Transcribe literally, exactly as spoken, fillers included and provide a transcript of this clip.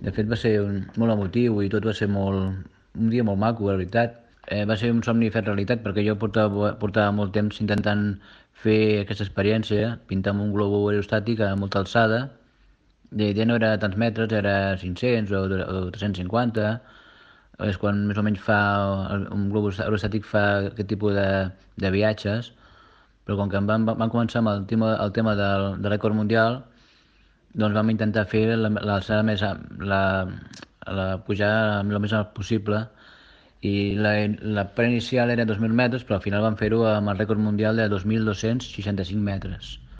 De fet va ser un, molt emotiu i tot va ser molt, un dia molt maco, la veritat. Eh, va ser un somni fet realitat perquè jo portava, portava molt temps intentant fer aquesta experiència, pintar amb un globo aerostàtic a molta alçada. La idea no era tants metres, era cinc-cents o, o tres-cents cinquanta. És quan més o menys fa un globus aerostàtic fa aquest tipus de, de viatges, però com que em van, van començar amb el tema, el tema del, del rècord mundial, doncs vam intentar fer l'alçada més a- la, la pujar el més alt possible i la, la pre inicial era dos mil metres, però al final vam fer-ho amb el rècord mundial de dos mil dos-cents seixanta-cinc metres.